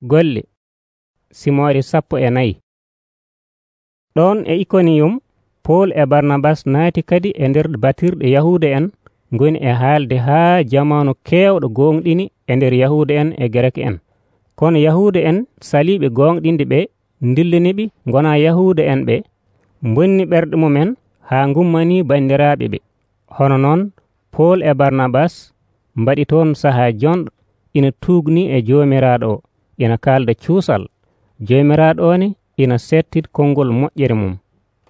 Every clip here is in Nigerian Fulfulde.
Golle Simoore 14. Ɗon e Ikoniyum Pool e Barnabas naati kadi e nder batirɗe Yahuuda en ngoni e haalde haa jamanu keewɗo gonɗini e nder Yahuuda en e Gerek en. Kono Yahuuda en saliiɓe gonɗinde ɓe ndillaniɓe gonaa Yahuuda en ɓe bonni ɓerɗe mumen haa ngummanii banndiraaɓe ɓe. Hono noon Pool e Barnabas mbaɗi toon sahaa jonɗo ina tuubnii e Joomiraaɗo o, ina kaalda cuusal. Joomiraaɗo o ne ina settid konngol moƴƴere mum,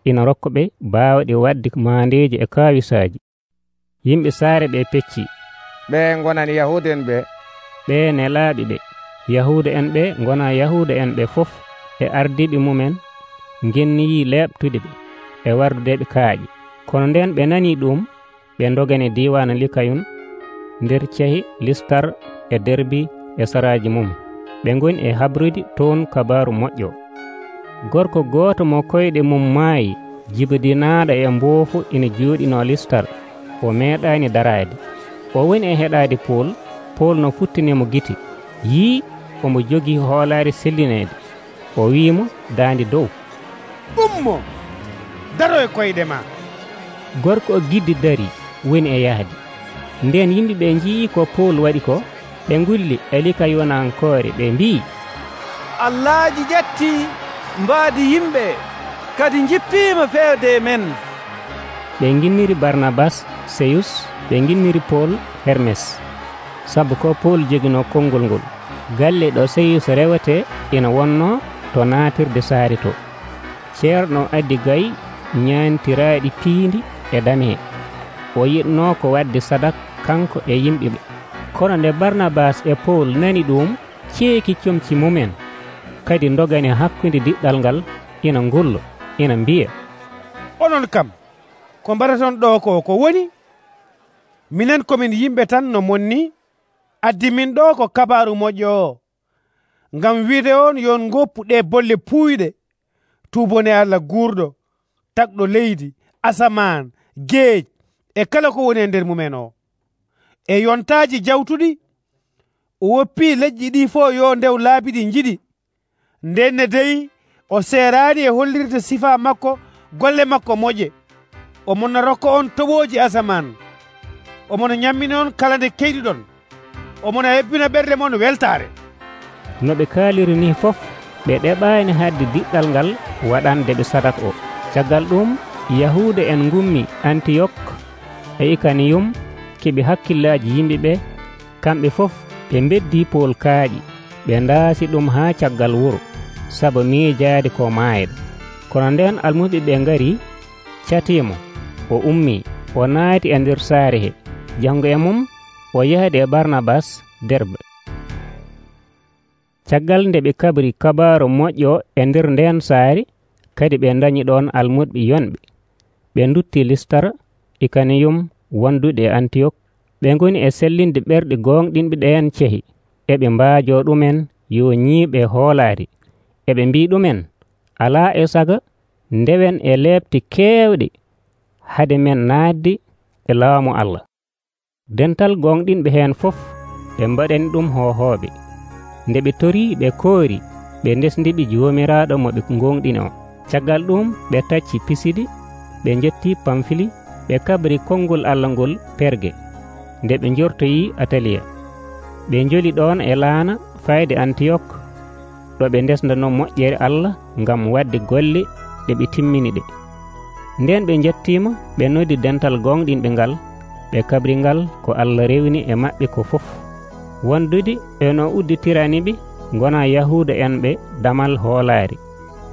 ina rokka ɓe baawɗe waɗde maandeeji e kaawisaaji. Yimɓe saare ɓe pecci. Ɓe ngonani Yahuuda en ɓe? Ɓe nelaaɓe ɓe. Yahuuda en ɓe ngonaa Yahuuda en ɓe fof e ardiiɓe mumen ngenniyii leeɓtude ɓe e wardudeɓe kaaƴe. Kono nden ɓe nanii ɗum, ɓe ndogani diiwaan Likayun nder cehi Listar e Derbi e saraaji mum. Ɓe ngoni e habrude toon kabaaru moƴƴo. Gorko gooto mo koyɗe mum maayi jibidinaaɗo e mboofu ina jooɗinoo Listar, o meeɗaani daraade. O woni e heɗaade Pool. Pool no futtinimo gite, yii omo jogii hoolaare sellineede. O wi'imo daandi dow, ummo, daro e koyɗe ma. Gorko o giddi darii, woni e yahdi. Nden yimɓe ɓe njii ko Pool waɗi ko, ɓe ngulli e Likayonankoore ɓe mbii, Allahji ƴettii mbaadi yimɓe kadi jippiima feewde men. Ɓe nginniri Barnabas Seyus, ɓe nginniri Pool Hermes, sabu ko Pool joginoo konngol ngol. Galle ɗo Seyus rewetee ina wonnoo to naatirde saare to. Ceerno addi gayi ñaantiraaɗi piindi e damee. O yiɗnoo ko waɗde sadak kanko e yimɓe ɓe. Kono nde Barnabas e Pool nani ɗum, ceeki comci mumen kadi ndogani hakkunde diɗɗal ngal, ina ngullo, ina mbiya, onon kam ko mbaɗaton ɗo ko woni? Minen komin yimɓe tan no monni, addi min ɗo ko kabaaru moƴƴo o, ngam wiide on yon ngoppu ɗe bolle puuyɗe tuubone Allah guurɗo, tagɗo leydi, asamaan, geej e kala ko woni e nder mumen o. E yontaaji jawtuɗi o woppii leƴƴi ɗi fof yo ndew laabi ɗi njiɗi. Ndenne dey o seeraani e hollirde sifa makko, golle makko moƴƴe. Omona rokka on toɓooji asamaan, omona ñammini on kala nde keyɗiɗon, omona hebbina ɓerde mon weltaare. No ɓe kaaliri ni fof, ɓe ɗeɓaani hadde diɗɗal ngal waɗande ɓe sadak o. Caggal ɗum Yahuuda en ngummi Antiyok e Ikaniyum keɓi hakkillaaji yimɓe ɓe. Kamɓe fof ɓe beddii Pool kaaƴi, ɓe ndaasi ɗum haa caggal wuro, sabu miijaade ko maayɗo. Kono nden almuɓe ɓe ngari, catiimo, o ummii, o naati e nder saare he. Janngo e mum o yahdi e Barnabas Derbe. Caggal nde ɓe kabri kabaaru moƴƴo e nder nden saari, kadi ɓe ndañi ɗon almuɓe yonɓe. Ɓe ndutti Listar, Ikaniyum wondude e Antiyok. Ɓe ngoni e sellinde ɓerɗe gonɗinɓe ɗeen cehi, eɓe mbaajoo ɗumen yo ñiiɓe hoolaari. Eɓe mbii ɗumen, alaa e saga ndewen e leeɓte keewɗe hade men naatde e laamu Allah. Dental gonɗinɓe heen fof ɓe mbaɗani ɗum hohooɓe. Nde ɓe torii ɓe koori, ɓe ndesdiɓe Joomiraaɗo mo ɓe gonɗini o. Caggal ɗum ɓe tacci Pisidi, ɓe njettii Pamfili, ɓe kabri konngol Allah ngol Perge. Nde ɓe njortoyii Ataliya, ɓe njoli ɗon e laana fayde Antiyok, ɗo ɓe ndesdanoo moƴƴere Allah ngam waɗde golle ɗe ɓe timmini ɗe. Nden ɓe njettiima, ɓe noddi dental gonɗinɓe ngal, ɓe kabri ngal ko Allah rewni e maɓɓe ko fof. Wondude e no udditirani ɓe ngonaa Yahuuda en ɓe damal hoolaari.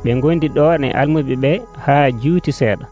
Ɓe ngondi ɗon e almuɓe ɓe haa juuti seeɗa.